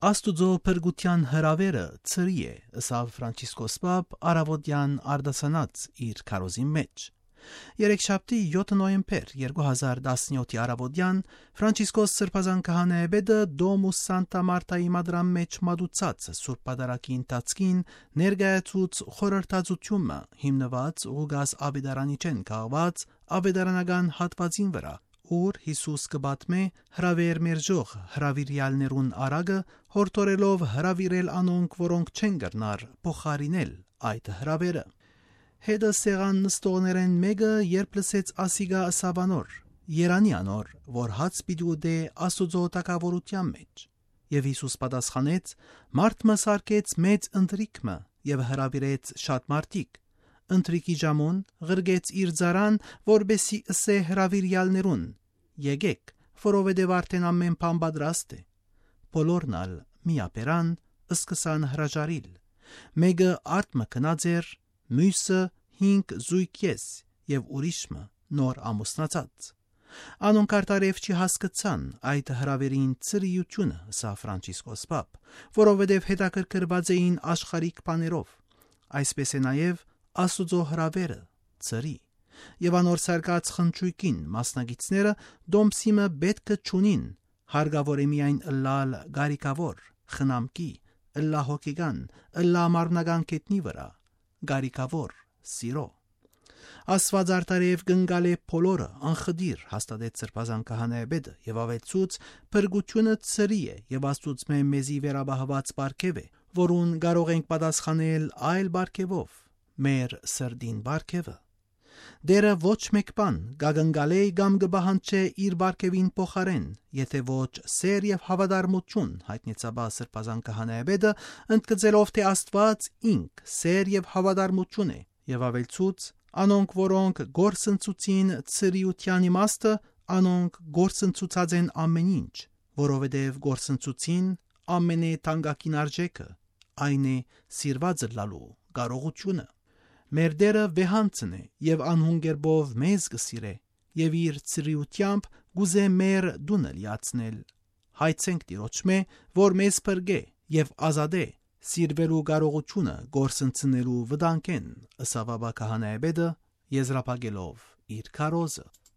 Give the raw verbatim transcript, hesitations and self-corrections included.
Աստուծոյ փրկութեան հրաւերը ցրի է, ըսաւ Ֆրանցիսկոս Պապ առաւօտեան արտասանած իր քարոզին մէջ։ Երեքշաբթի, եօթը նոյեմբեր երկու հազար տասնեօթի առաւօտեան Ֆրանցիսկոս Սրբազան քահանայապետը Դոմուս Սանտա Մարտայի մատրան մէջ մատուցած Սուրբ Պատարագի ընթացքին ներկայացուց խորհրդածութիւնը, հիմնուած Ղուկաս Աւետարանիչէն քաղուած աւետարանական հատուածին վրայ, ուր Յիսուս կը պատմէ հրաւեր մերժող հրաւիրեալներուն արագը, յորդորելով հրաւիրել անոնք, որոնք չեն կրնար փոխարինել այդ հրաւերը։ Հետը սեղան նստողներէն մէկը, երբ լսեց ասիկա, ըսաւ անոր. «Երանի անոր, որ հաց պիտի ուտէ Աստուծոյ թագաւորութեան մէջ»։ Եւ Յիսուս պատասխանեց. «Մարդ մը սարքեց մեծ ընթրիք մը եւ հրաւիրեց շատ մարդիկ։ Ընթրիքի ժամուն ղրկեց իր ծառան, որպեսզի ըսէ հրաւիրեալներուն. "Եկէք, որովհետեւ արդէն ամէն բան պատրաստ է"։ Բոլորն ալ միաբերան, սկսան հրաժարիլ։ Մէկը արդ մը գնած էր, միւսը՝ հինգ զոյգ ես եւ ուրիշ մը՝ նոր ամուսնացած։ Անոնք արդարեւ չի հասկցան այդ հրաւերին ցրիութիւնը», ըսաւ Ֆրանցիսկոս Պապ, «որովհետեւ հետաքրքրուած էին աշխարհիկ բաներով։ Այսպէս է նաեւ Աստուծոյ հրաւերը ցրի։ Եւ անոր սարկած խնճոյքին մասնակիցները դոմսի մը պէտքը չունին, հարկաւոր է միայն ըլլալ կարիքաւոր, խնամքի, ըլլայ հոգեկան, ըլլայ մարմնական գետնի վրայ, կարիքաւոր, սիրո։ Աստուած արդարեւ կ'ընկալէ բոլորը անխտիր», հաստատեց Սրբազան քահանայապետը եւ աւելցուց. «Փրկութիւնը ցրի է եւ Աստուծմէ մեզի վերապահուած պարգեւ է, որուն կարող ենք պատասխանել այլ պարգեւով՝ մեր սրտին պարգեւը։ Տէրը ոչ մէկ բան կ'ակնկալէ կամ կը պահանջէ իր պարգեւին փոխարէն, եթէ ոչ սէր եւ հաւատարմութիւն», յայտնեց ապա Սրբազան քահանայապետը, ընդգծելով թէ Աստուած ինք սէր եւ հաւատարմութիւն է, եւ աւելցուց. «Անոնք, որոնք կորսնցուցին ցրիութեան իմաստը, անոնք կորսնցուցած են ամէն ինչ, որովհետեւ կորսնցուցին ամենէ թանկագին արժէքը, այն է սիրուած ըլլալու կարողութիւնը։ Մեր Տէրը վեհանձն է եւ անհուն կերպով մեզ կը սիրէ եւ իր ցրիութեամբ կ'ուզէ մեր տունը լիացնել։ Հայցենք Տիրոջմէ, որ մեզ փրկէ եւ ազատէ սիրուելու կարողութիւնը կորսնցնելու վտանգէն», ըսաւ ապա քահանայապետը, եզրափակելով իր քարոզը։